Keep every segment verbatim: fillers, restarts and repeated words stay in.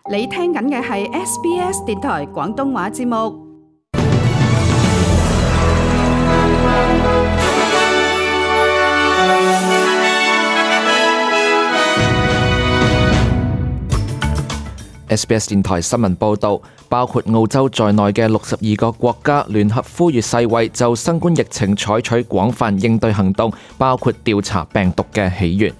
你聽緊嘅係 S B S 電台廣東話節目。S B S 電台新聞報導，包括澳洲在內嘅六十二個國家聯合呼籲世衛就新冠疫情採取廣泛應對行動，包括調查病毒嘅起源。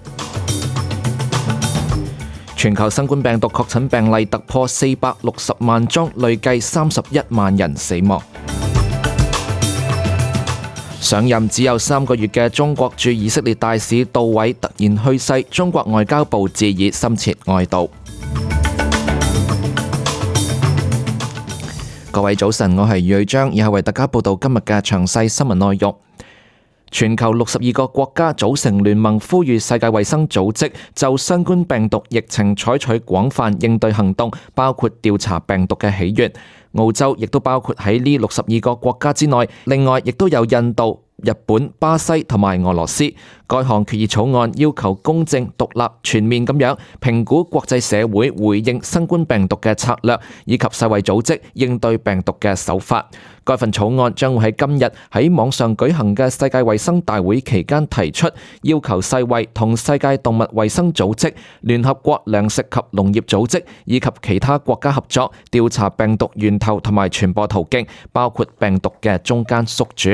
全球新冠病毒確診病例突破四百六十萬宗，累計三十一萬人死亡。上任只有三個月嘅中國駐以色列大使杜偉突然去世，中國外交部致以深切哀悼。各位早晨，我係余瑞章，以下為大家報道今日嘅詳細新聞內容。全球六十二個國家組成聯盟，呼籲世界衛生組織就新冠病毒疫情採取廣泛應對行動，包括調查病毒嘅起源。澳洲亦都包括喺呢六十二個國家之內，另外亦都有印度、日本、巴西同埋俄羅斯。該項決議草案要求公正、獨立、全面咁樣評估國際社會回應新冠病毒嘅策略，以及世衛組織應對病毒嘅手法。該份草案將會喺今日喺網上舉行嘅世界衛生大會期間提出，要求世衛同世界動物衛生組織、聯合國糧食及農業組織以及其他國家合作，調查病毒源頭同埋傳播途徑，包括病毒嘅中間宿主。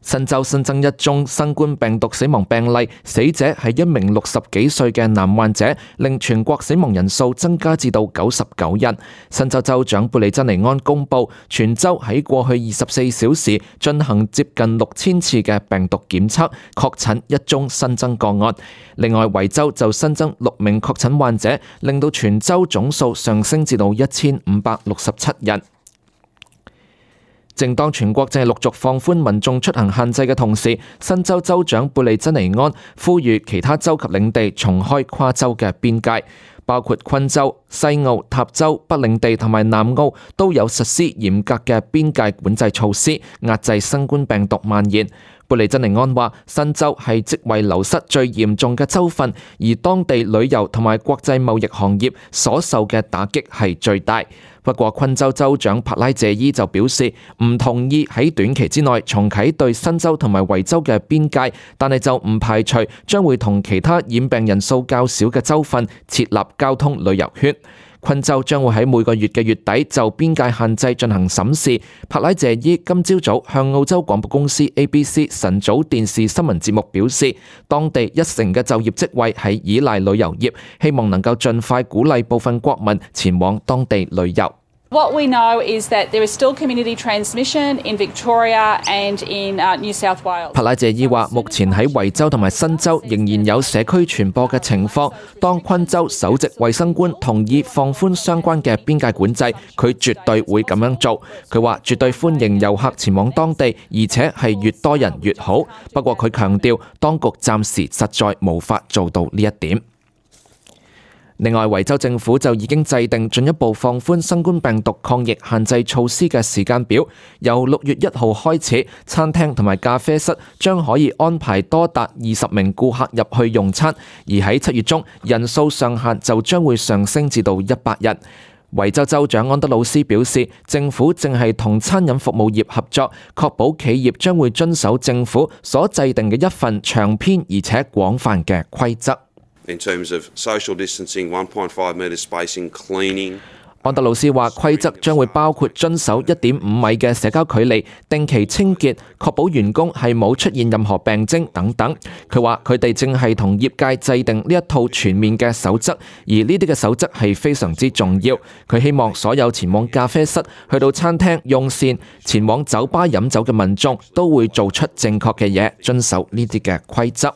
新州新增一宗新冠病毒死亡病例，死者係一名六十幾歲嘅男患者，令全國死亡人數增加至到九十九人。新州州長貝利珍尼安公布，全州喺過去二十四小時進行接近六千次嘅病毒檢測，確診一宗新增個案。另外，維州就新增六名確診患者，令到全州總數上升至到一千五百六十七人。正當全國正係陸續放寬民眾出行限制嘅同時，新州州長貝利珍尼安呼籲其他州及領地重開跨州嘅邊界，包括昆州、西澳、塔州、北領地同埋南澳都有實施嚴格嘅邊界管制措施，壓制新冠病毒蔓延。貝利珍尼安話，新州係職位流失最嚴重嘅州份，而當地旅遊同埋國際貿易行業所受嘅打擊係最大。不過，昆州州長帕拉謝伊就表示唔同意喺短期之內重啟對新州同埋維州嘅邊界，但係就唔排除將會同其他染病人數較少嘅州份設立交通旅遊圈。昆州將會喺每個月嘅月底就邊界限制進行審視。帕拉謝伊今朝早向澳洲廣播公司 A B C 晨早電視新聞節目表示，當地一成嘅就業職位係依賴旅遊業，希望能夠盡快鼓勵部分國民前往當地旅遊。What we know is that there is still community transmission in Victoria and in New South Wales. 帕拉謝伊話，目前喺維州同埋新州仍然有社區傳播嘅情況。當昆州首席衛生官同意放寬相關嘅邊界管制，佢絕對會咁樣做。佢話絕對歡迎遊客前往當地，而且係越多人越好。不過佢強調，當局暫時實在無法做到呢一點。另外，維州政府就已經制定進一步放寬新冠病毒抗疫限制措施嘅時間表，由六月一號開始，餐廳同埋咖啡室將可以安排多達二十名顧客入去用餐，而喺七月中，人數上限就將會上升至到一百人。維州州長安德魯斯表示，政府正係同餐飲服務業合作，確保企業將會遵守政府所制定嘅一份長篇而且廣泛嘅規則。In terms of social distancing, one point five metre spacing, cleaning. 安德魯斯話，規則將會包括遵守一點五米嘅社交距離、定期清潔、確保員工係冇出現任何病徵等等。佢話佢哋正係同業界制定呢一套全面嘅守則，而呢啲嘅守則係非常之重要。佢希望所有前往咖啡室、去到餐廳用膳、前往酒吧飲酒嘅民眾都會做出正確嘅嘢，遵守呢啲嘅規則。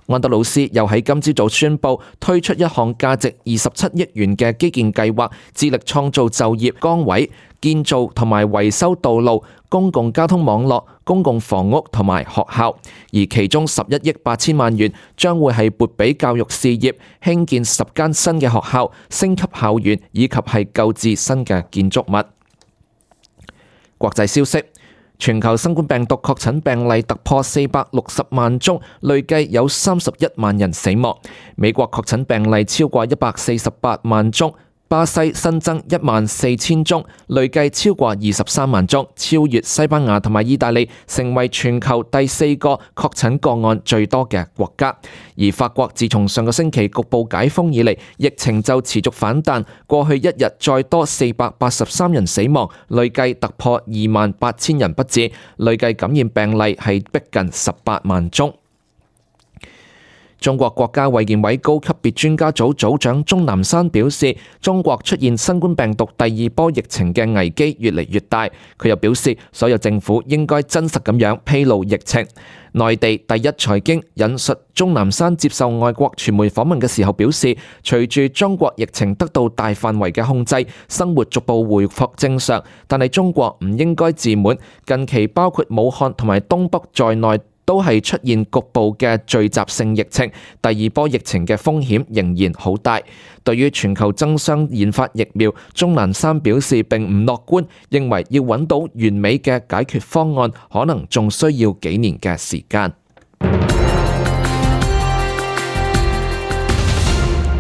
安德魯斯又喺今朝早宣布推出一項價值二十七億元嘅基建計劃，致力創造就業崗位、建造同埋維修道路、公共交通網絡、公共房屋同埋學校，而其中十一億八千萬元將會係撥俾教育事業，興建十間新嘅學校、升級校園以及係購置新嘅建築物。國際消息。全球新冠病毒確診病例突破四百六十萬宗，累計有三十一萬人死亡。美國確診病例超過一百四十八萬宗。巴西新增一萬四千宗，累計超過二十三萬宗，超越西班牙同埋意大利，成為全球第四個確診個案最多嘅國家。而法國自從上個星期局部解封以嚟，疫情就持續反彈，過去一日再多四百八十三人死亡，累計突破二萬八千人不治，累計感染病例係逼近十八萬宗。中國國家衛健委高級別專家組組長鍾南山表示，中國出現新冠病毒第二波疫情嘅危機越嚟越大。佢又表示，所有政府應該真實咁樣披露疫情。內地第一財經引述鍾南山接受外國傳媒訪問嘅時候表示，隨住中國疫情得到大範圍嘅控制，生活逐步回復正常，但係中國唔應該自滿。近期包括武漢同埋東北在內，都係出現局部嘅聚集性疫情，第二波疫情嘅風險仍然好大。對於全球爭相研發疫苗，鍾南山表示並唔樂觀，認為要揾到完美嘅解決方案，可能仲需要幾年嘅時間。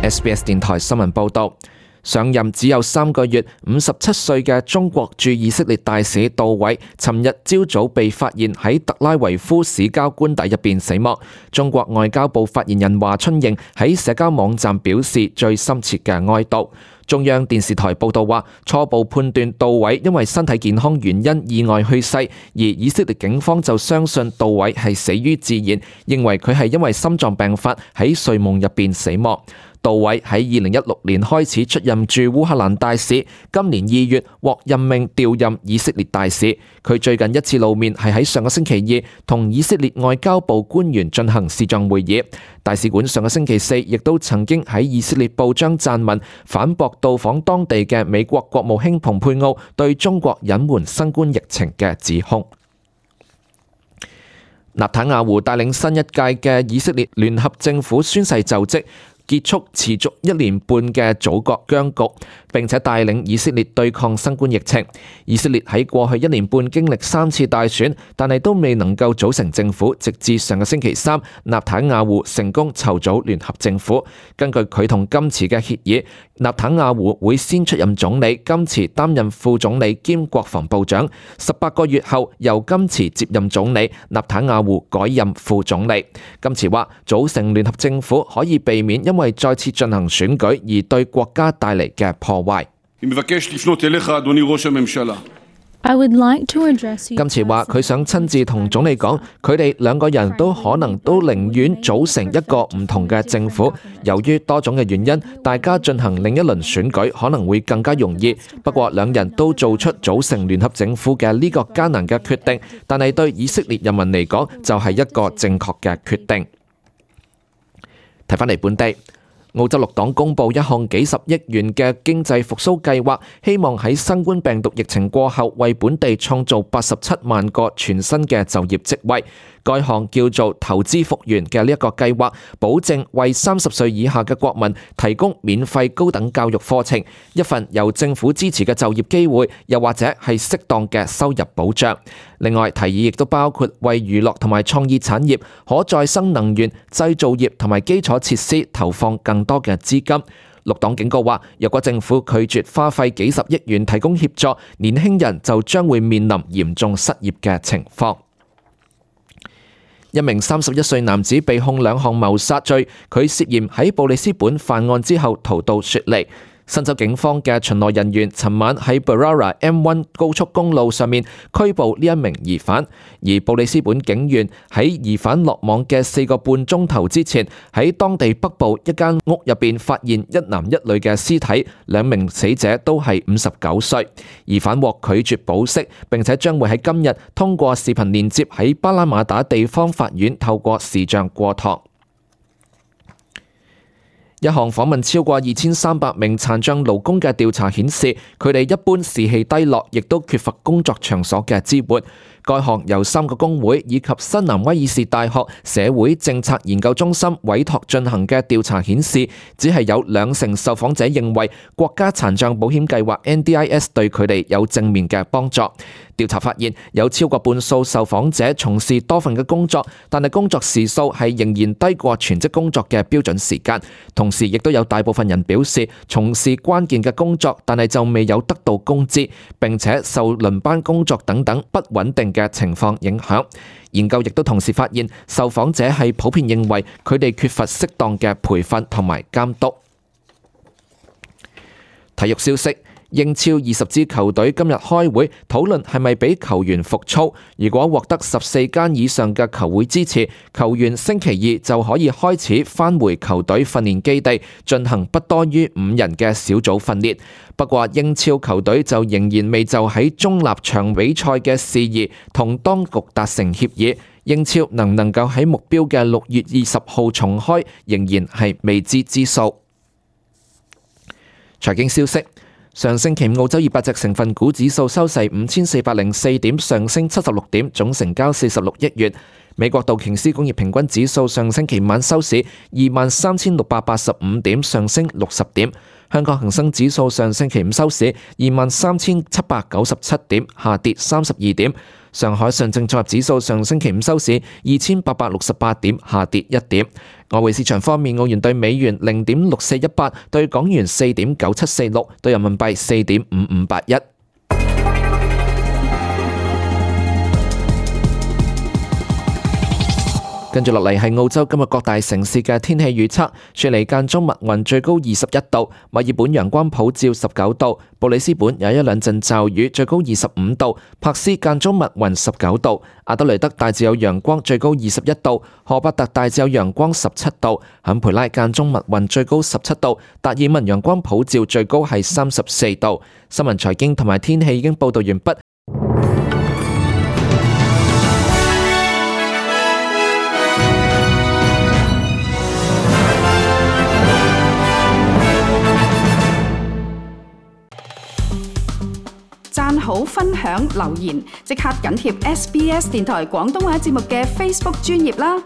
S B S 電台新聞報導。上任只有三個月，五十七歲嘅中國駐以色列大使杜偉，尋日朝早被發現喺特拉維夫市郊官邸入邊死亡。中國外交部發言人華春瑩喺社交網站表示最深切嘅哀悼。中央電視台報道話，初步判斷杜偉因為身體健康原因意外去世，而以色列警方就相信杜偉係死於自然，認為佢係因為心臟病發喺睡夢入邊死亡。杜偉喺二零一六年開始出任駐烏克蘭大使，今年二月獲任命調任以色列大使。佢最近一次露面係喺上個星期二，同以色列外交部官員進行視像會議。大使館上個星期四亦都曾經喺以色列報章撰文，反駁到訪當地嘅美國國務卿蓬佩奧對中國隱瞞新冠疫情嘅指控。納坦雅胡帶領新一屆嘅以色列聯合政府宣誓就職，結束持續一年半嘅組閣僵局，並且帶領以色列對抗新冠疫情。以色列喺過去一年半經歷三次大選，但係都未能夠組成政府，直至上個星期三，納坦雅胡成功籌組聯合政府。根據佢同甘茨嘅協議，納坦雅胡會先出任總理，甘茨擔任副總理兼國防部長。十八個月後，由甘茨接任總理，納坦雅胡改任副總理。甘茨話，組成聯合政府可以避免因為再次進行選舉而對國家帶嚟嘅破壞。甘茨話佢想親自同總理講，佢哋兩個人都可能都寧願組成一個唔同嘅政府。由於多種嘅原因，大家進行另一輪選舉可能會更加容易。不過兩人都做出組成聯合政府嘅呢個艱難嘅決定，但係對以色列人民嚟講就係一個正確嘅決定。睇返嚟本地。澳洲綠黨公布一項幾十億元嘅經濟復甦計劃，希望喺新冠病毒疫情過後為本地創造八十七萬個全新嘅就業職位。該項叫做投資復原嘅呢一個計劃，保證為三十歲以下嘅國民提供免費高等教育課程，一份由政府支持嘅就業機會，又或者係適當嘅收入保障。另外，提議亦都包括為娛樂同埋創意產業、可再生能源、製造業同埋基礎設施投放更多嘅資金。綠黨警告話，若果政府拒絕花費幾十億元提供協助，年輕人就將會面臨嚴重失業嘅情況。一名三十一歲男子被控兩項謀殺罪，佢涉嫌喺布里斯本犯案之後逃到雪梨。新州警方嘅巡邏人員尋晚喺 Berowra M 一 高速公路上面拘捕呢一名疑犯，而布里斯本警員喺疑犯落網嘅四個半鐘頭之前，喺當地北部一間屋入邊發現一男一女嘅屍體，兩名死者都係五十九歲。疑犯獲拒絕保釋，並且將會喺今日通過視頻連接喺巴拉馬打地方法院透過視像過堂。一項訪問超過二千三百名殘障勞工嘅調查顯示，佢哋一般士氣低落，亦都缺乏工作場所嘅支援。該項由三個工會以及新南威爾士大學社會政策研究中心委託進行嘅調查顯示，只係有兩成受訪者認為國家殘障保險計劃 N D I S 對佢哋有正面嘅幫助。調查發現有超過半數受訪者從事多份嘅工作，但係工作時數係仍然低過全職工作嘅標準時間。同時亦都有大部分人表示從事關鍵嘅工作，但係就未有得到工資，並且受輪班工作等等不穩定嘅情況影響。研究亦都同時發現，受訪者係普遍認為佢哋缺乏適當嘅培訓同埋監督。體育消息。英超二十支球隊今日開會討論係咪俾球員復操。如果獲得十四間以上嘅球會支持，球員星期二就可以開始返回球隊訓練基地，進行不多於五人嘅小組訓練。不過英超球隊就仍然未就喺中立場比賽嘅事宜同當局達成協議。英超能唔能夠喺目標嘅六月二十號重開，仍然係未知之數。財經消息。上星期澳洲二百隻成分股指數收市五千四百零四點，上升七十六點，總成交四十六億元。美國道瓊斯工業平均指數上星期晚收市二萬三千六百八十五點，上升六十點。香港恒生指數上星期五收市二萬三千七百九十七點，下跌三十二點。上海上證綜合指數上星期五收市二千八百六十八點，下跌一點。外匯市場方面，澳元對美元零點六四一八，對港元四點九七四六，對人民幣四點五五八一。跟住落嚟係澳洲今日各大城市嘅天氣預測。雪梨間中密雲，最高二十一度；墨爾本陽光普照，十九度；布里斯本有一兩陣驟雨，最高二十五度；柏斯間中密雲，十九度；阿德雷德大致有陽光，最高二十一度；荷伯特大致有陽光，十七度；坎培拉間中密雲，最高十七度；達爾文陽光普照，最高係三十四度。新聞財經同埋天氣已經報道完畢。讚好、分享、留言，即刻緊貼 S B S 電台廣東話節目嘅 Facebook 專頁啦！